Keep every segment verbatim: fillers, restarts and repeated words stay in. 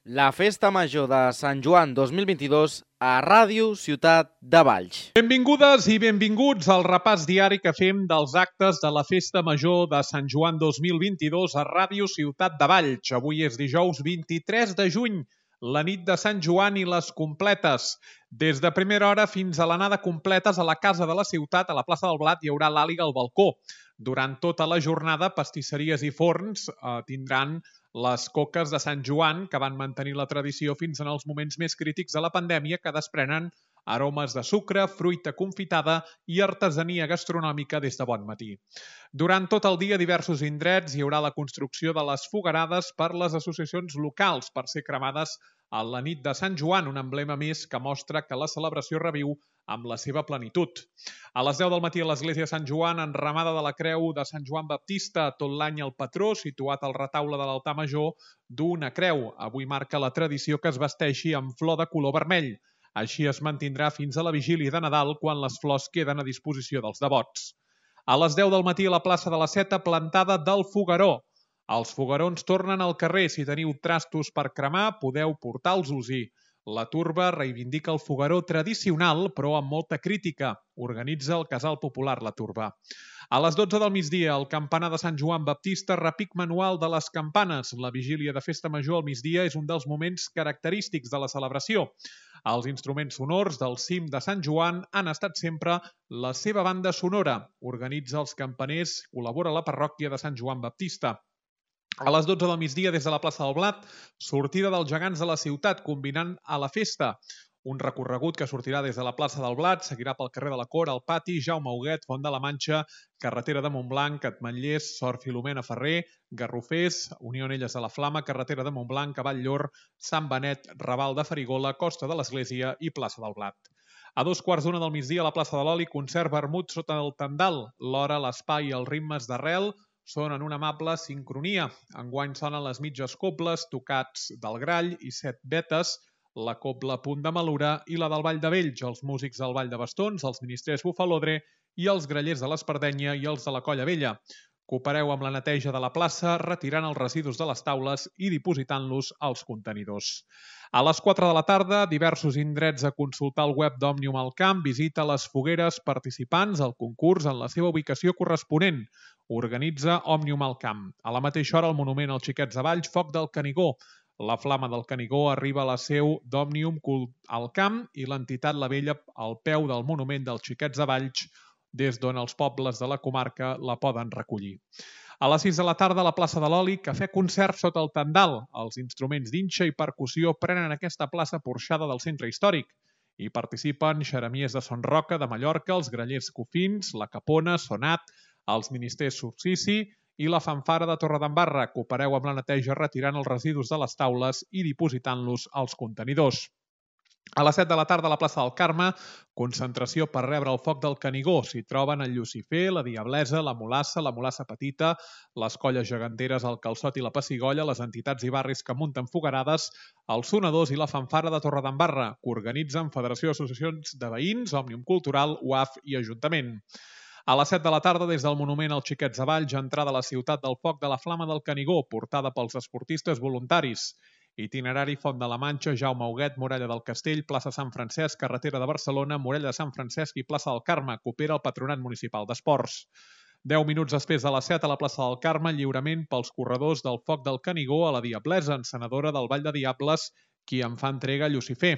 La Festa Major de Sant Joan dos mil vint-i-dos a Ràdio Ciutat de Valls. Benvingudes i benvinguts al repàs diari que fem dels actes de la Festa Major de Sant Joan dos mil vint-i-dos a Ràdio Ciutat de Valls. Avui és dijous vint-i-tres de juny, la nit de Sant Joan i les completes. Des de primera hora fins a l'anada completes a la Casa de la Ciutat, a la plaça del Blat, hi haurà l'àliga al balcó. Durant tota la jornada, pastisseries i forns eh, tindran les coques de Sant Joan, que van mantenir la tradició fins en els moments més crítics de la pandèmia, que desprenen aromes de sucre, fruita confitada i artesania gastronòmica des de bon matí. Durant tot el dia, a diversos indrets hi haurà la construcció de les foguerades per les associacions locals per ser cremades a la nit de Sant Joan, un emblema més que mostra que la celebració reviu amb la seva plenitud. A les deu del matí a l'església de Sant Joan, enramada de la creu de Sant Joan Baptista, tot l'any el patró, situat al retaule de l'altar major, du una creu. Avui marca la tradició que es vesteixi amb flor de color vermell. Així es mantindrà fins a la vigília de Nadal, quan les flors queden a disposició dels devots. A les deu del matí a la plaça de la Seta, plantada del fogueró. Els foguerons tornen al carrer. Si teniu trastos per cremar, podeu portar-los-hi. La Turba reivindica el fogueró tradicional, però amb molta crítica. Organitza el Casal Popular La Turba. A les dotze del migdia, el campanar de Sant Joan Baptista, repic manual de les campanes. La vigília de Festa Major al migdia és un dels moments característics de la celebració. Els instruments sonors del cim de Sant Joan han estat sempre la seva banda sonora. Organitza els campaners, col·labora la parròquia de Sant Joan Baptista. A les dotze del migdia, des de la plaça del Blat, sortida dels gegants de la ciutat, combinant a la festa. Un recorregut que sortirà des de la plaça del Blat, seguirà pel carrer de la Cora, el Pati, Jaume Huguet, Font de la Manxa, carretera de Montblanc, Ametllers, Sort Filomena Ferrer, Garrofers, Unió Anelles de la Flama, carretera de Montblanc, Cavall Llor, Sant Benet, Raval de Farigola, Costa de l'Església i plaça del Blat. A dos quarts d'una del migdia, a la plaça de l'Oli, concert vermut sota el tendal. L'hora, l'espai i els ritmes d'arrel són en una amable sincronia. Enguany sonen les mitges cobles, tocats del Grall i set vetes, la cobla Punt de Malura i la del Vall de Vells, els músics del Vall de Bastons, els ministrers Bufalodre i els grallers de l'Espardenya i els de la Colla Vella. Coopereu amb la neteja de la plaça, retirant els residus de les taules i dipositant-los als contenidors. A les quatre de la tarda, diversos indrets a consultar el web d'Òmnium al Camp, visita les fogueres participants al concurs en la seva ubicació corresponent. Organitza Òmnium al Camp. A la mateixa hora, el monument als Xiquets de Valls, Foc del Canigó. La flama del Canigó arriba a la seu d'Òmnium al Camp i l'entitat La Vella al peu del monument dels Xiquets de Valls, des d'on els pobles de la comarca la poden recollir. A les sis de la tarda, a la plaça de l'Oli, cafè concert sota el tendal. Els instruments d'inxa i percussió prenen aquesta plaça porxada del centre històric. Hi participen xeremies de Son Roca, de Mallorca, els grallers Cofins, la Capona, Sonat, els ministers Subsici i la fanfara de Torredembarra. Coopereu amb la neteja retirant els residus de les taules i dipositant-los als contenidors. A les set de la tarda, a la plaça del Carme, concentració per rebre el foc del Canigó. S'hi troben el Llucifer, la Diablesa, la Mulassa, la Mulassa Petita, les colles geganteres, el Calçot i la Pessigolla, les entitats i barris que munten foguerades, els sonadors i la fanfara de Torredembarra, que organitzen Federació d'Associacions de Veïns, Òmnium Cultural, U A F i Ajuntament. A les set de la tarda, des del monument als Xiquets de Valls, entrada a la ciutat del foc de la Flama del Canigó, portada pels esportistes voluntaris. Itinerari Font de la Manxa, Jaume Huguet, Muralla del Castell, plaça Sant Francesc, carretera de Barcelona, Muralla de Sant Francesc i plaça del Carme, coopera el Patronat Municipal d'Esports. Deu minuts després de les set, a la plaça del Carme, lliurament pels corredors del foc del Canigó a la Diablesa, encenedora del Vall de Diables, qui en fa entrega a Llucifer.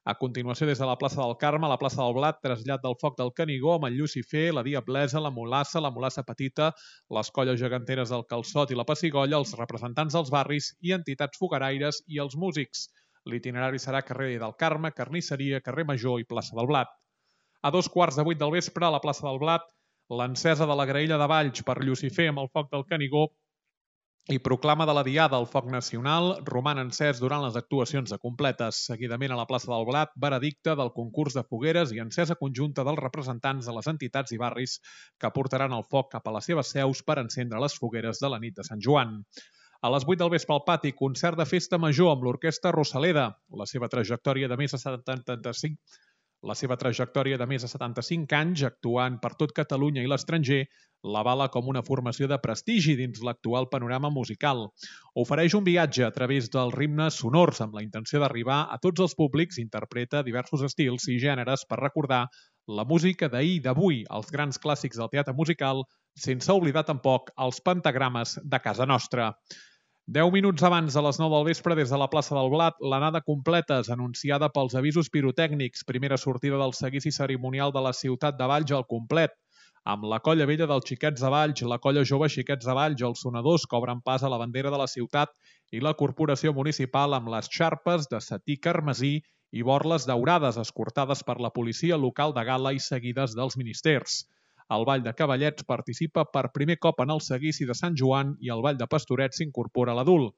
A continuació, des de la plaça del Carme, a la plaça del Blat, trasllat del foc del Canigó amb el Llucifer, la Diablesa, la Mulassa, la Mulassa Petita, les colles geganteres del Calçot i la Pessigolla, els representants dels barris i entitats fogueraires i els músics. L'itinerari serà carrer del Carme, Carnisseria, carrer Major i plaça del Blat. A dos quarts de vuit del vespre, a la plaça del Blat, l'encesa de la graella de Valls per Llucifer amb el foc del Canigó i proclama de la Diada al foc nacional, roman encès durant les actuacions de completes. Seguidament, a la plaça del Blat, veredicte del concurs de fogueres i encesa conjunta dels representants de les entitats i barris que portaran el foc cap a les seves seus per encendre les fogueres de la nit de Sant Joan. A les vuit del vespre al Pati, concert de Festa Major amb l'Orquestra Rosaleda. La seva trajectòria de més de setanta-cinc La seva trajectòria de més de setanta-cinc anys, actuant per tot Catalunya i l'estranger, l'avala com una formació de prestigi dins l'actual panorama musical. Ofereix un viatge a través dels ritmes sonors amb la intenció d'arribar a tots els públics, interpreta diversos estils i gèneres per recordar la música d'ahir i d'avui, els grans clàssics del teatre musical, sense oblidar tampoc els pentagrames de casa nostra. Deu minuts abans de les nou del vespre, des de la plaça del Blat, l'anada completa és anunciada pels avisos pirotècnics, primera sortida del seguici cerimonial de la ciutat de Valls al complet, amb la colla vella dels Xiquets de Valls, la colla jove Xiquets de Valls, els sonadors que obren pas a la bandera de la ciutat i la corporació municipal amb les xarpes de setí carmesí i borles daurades escortades per la policia local de Gala i seguides dels ministers. El Ball de Cavallets participa per primer cop en el seguici de Sant Joan i el Ball de Pastoret s'incorpora a l'adult.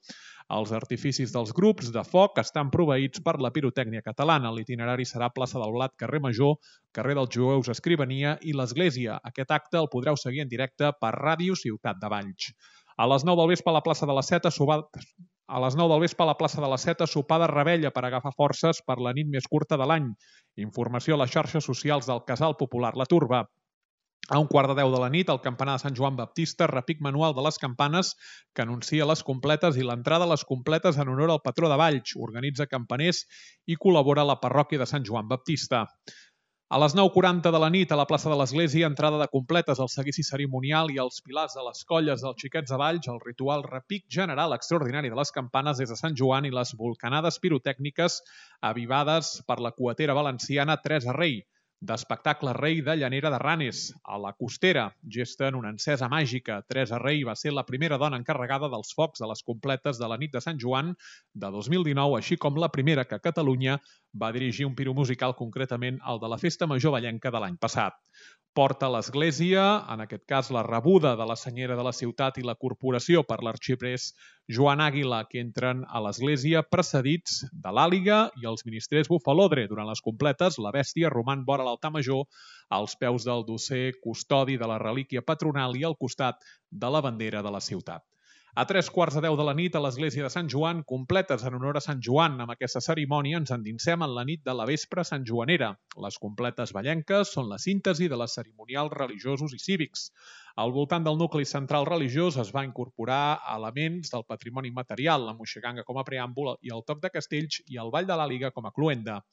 Els artificis dels grups de foc estan proveïts per la pirotècnia catalana. L'itinerari serà plaça del Blat, carrer Major, carrer dels Jueus, Escrivania i l'Església. Aquest acte el podreu seguir en directe per Ràdio Ciutat de Valls. A les nou del vespre a la plaça de la Seta, a les nou del vespre a la plaça de la Seta, sopar de revetlla per agafar forces per la nit més curta de l'any. Informació a les xarxes socials del Casal Popular La Turba. A un quart de deu de la nit, el campanar de Sant Joan Baptista, repic manual de les campanes que anuncia les completes i l'entrada a les completes en honor al patró de Valls. Organitza campaners i col·labora a la parròquia de Sant Joan Baptista. A les nou quaranta de la nit, a la plaça de l'Església, entrada de completes al seguici cerimonial i als pilars de les colles dels Xiquets de Valls, el ritual repic general extraordinari de les campanes des de Sant Joan i les volcanades pirotècniques avivades per la cuatera valenciana Teresa Rei, d'espectacle Rei de Llanera de Ranes, a la Costera, gesten una encesa màgica. Teresa Rei va ser la primera dona encarregada dels focs de les completes de la nit de Sant Joan de dos mil dinou, així com la primera que a Catalunya va dirigir un piro musical, concretament el de la Festa Major Vallenca de l'any passat. Porta a l'Església, en aquest cas la rebuda de la senyera de la ciutat i la corporació per l'arxiprés Joan Àguila, que entren a l'Església precedits de l'Àliga i els ministrers Bufalodre. Durant les completes, la bèstia roman vora l'altar major, als peus del dosser custodi de la relíquia patronal i al costat de la bandera de la ciutat. A tres quarts de deu de la nit, a l'església de Sant Joan, completes en honor a Sant Joan. Amb aquesta cerimònia ens endinsem en la nit de la vespre santjoanera. Les completes vallenques són la síntesi de les cerimonials religiosos i cívics. Al voltant del nucli central religiós es va incorporar elements del patrimoni material, la moixiganga com a preàmbul i el toc de castells i el ball de l'Àliga com a cloenda.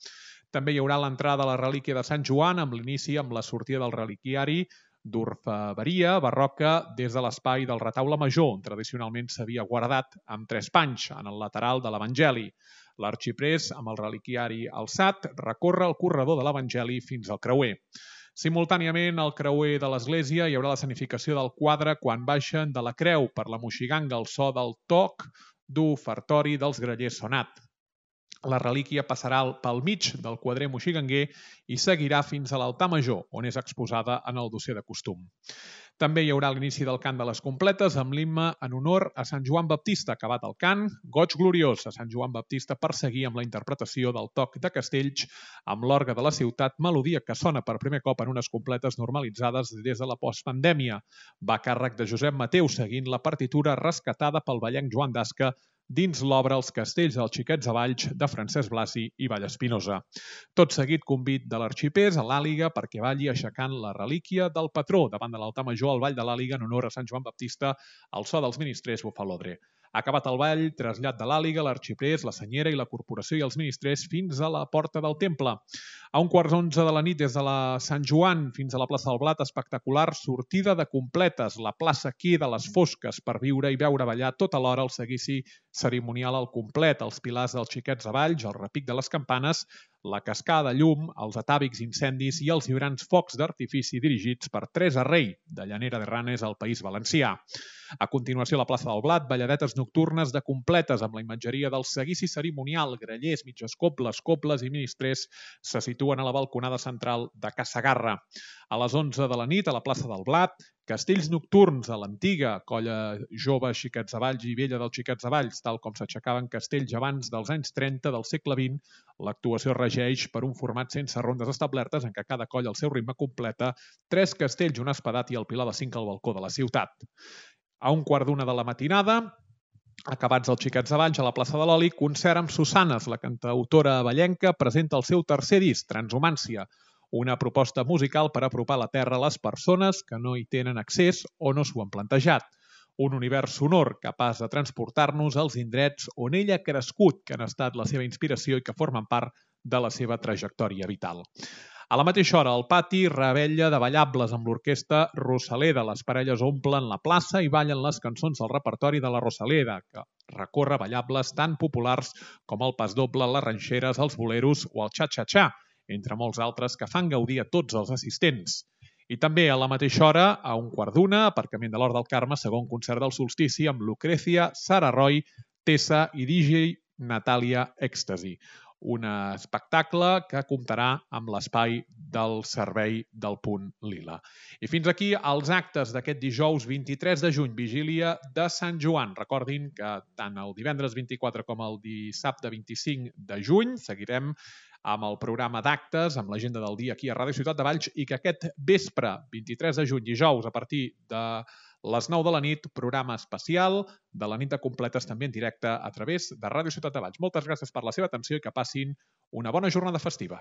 També hi haurà l'entrada a la relíquia de Sant Joan amb l'inici amb la sortida del reliquiari d'orfebreria barroca des de l'espai del retaule major, on tradicionalment s'havia guardat amb tres panys en el lateral de l'Evangeli. L'arxiprés, amb el reliquiari alçat, recorre el corredor de l'Evangeli fins al creuer. Simultàniament, al creuer de l'església hi haurà l'escenificació del quadre quan baixen de la creu per la moixiganga al so del toc d'ofertori dels grallers sonat. La relíquia passarà pel mig del quadrer moixiganguer i seguirà fins a l'altar major, on és exposada en el dosser de costum. També hi haurà l'inici del cant de les completes amb l'himne en honor a Sant Joan Baptista. Acabat el cant, goig gloriós a Sant Joan Baptista per seguir amb la interpretació del toc de castells amb l'orgue de la ciutat, melodia que sona per primer cop en unes completes normalitzades des de la postpandèmia. Va a càrrec de Josep Mateu, seguint la partitura rescatada pel vallenc Joan d'Asca dins l'obra Els castells dels Xiquets de Valls de Francesc Blasi i Vallespinosa. Tot seguit convit de l'arxipers a l'Àliga perquè balli aixecant la relíquia del patró davant de l'altar major al ball de l'Àliga en honor a Sant Joan Baptista al so dels ministrers Bufalodre. Acabat el ball, trasllat de l'Àliga, l'arxiprés, la senyera i la corporació i els ministrers fins a la porta del temple. A un quart d'onze de la nit des de la Sant Joan fins a la plaça del Blat, espectacular sortida de completes. La plaça queda a les fosques per viure i veure ballar tota l'hora el seguici cerimonial al complet, els pilars dels Xiquets de Valls, el repic de les campanes, la cascada de llum, els atàvics incendis i els vibrants focs d'artifici dirigits per Teresa Rei, de Llanera de Ranes al País Valencià. A continuació, a la plaça del Blat, balladetes nocturnes de completes amb la imatgeria del seguici cerimonial. Grallers, mitges cobles, cobles i ministrers se situen a la balconada central de Ca Segarra. A les onze de la nit, a la plaça del Blat, castells nocturns a l'antiga colla jove Xiquets de Valls i vella dels Xiquets de Valls, tal com s'aixecaven castells abans dels anys trenta del segle vint. L'actuació regeix per un format sense rondes establertes en què cada colla al seu ritme completa tres castells, un espadat i el pilar de cinc al balcó de la ciutat. A un quart d'una de la matinada, Acabats els Xiquets de Valls a la plaça de l'Oli, concert amb Susanes, la cantautora avellenca, presenta el seu tercer disc, Transhumància, una proposta musical per apropar la Terra a les persones que no hi tenen accés o no s'ho han plantejat. Un univers sonor capaç de transportar-nos als indrets on ella ha crescut, que han estat la seva inspiració i que formen part de la seva trajectòria vital. A la mateixa hora, al pati, rebella de ballables amb l'orquestra Rosaleda. Les parelles omplen la plaça i ballen les cançons del repertori de la Rosaleda, que recorre ballables tan populars com el pas doble, les ranxeres, els boleros o el xa-xa-xa, entre molts altres que fan gaudir a tots els assistents. I també a la mateixa hora, a un quart d'una, aparcament de l'Hort del Carme, segon concert del solstici amb Lucrecia, Sara Roy, Tessa i D J Natàlia Ecstasy. Un espectacle que comptarà amb l'espai del servei del Punt Lila. I fins aquí els actes d'aquest dijous vint-i-tres de juny, vigília de Sant Joan. Recordin que tant el divendres vint-i-quatre com el dissabte vint-i-cinc de juny seguirem amb el programa d'actes, amb l'agenda del dia aquí a Ràdio Ciutat de Valls, i que aquest vespre, vint-i-tres de juny, dijous, a partir de les nou de la nit, programa especial de la nit de completes també en directe a través de Ràdio Ciutat de Valls. Moltes gràcies per la seva atenció i que passin una bona jornada festiva.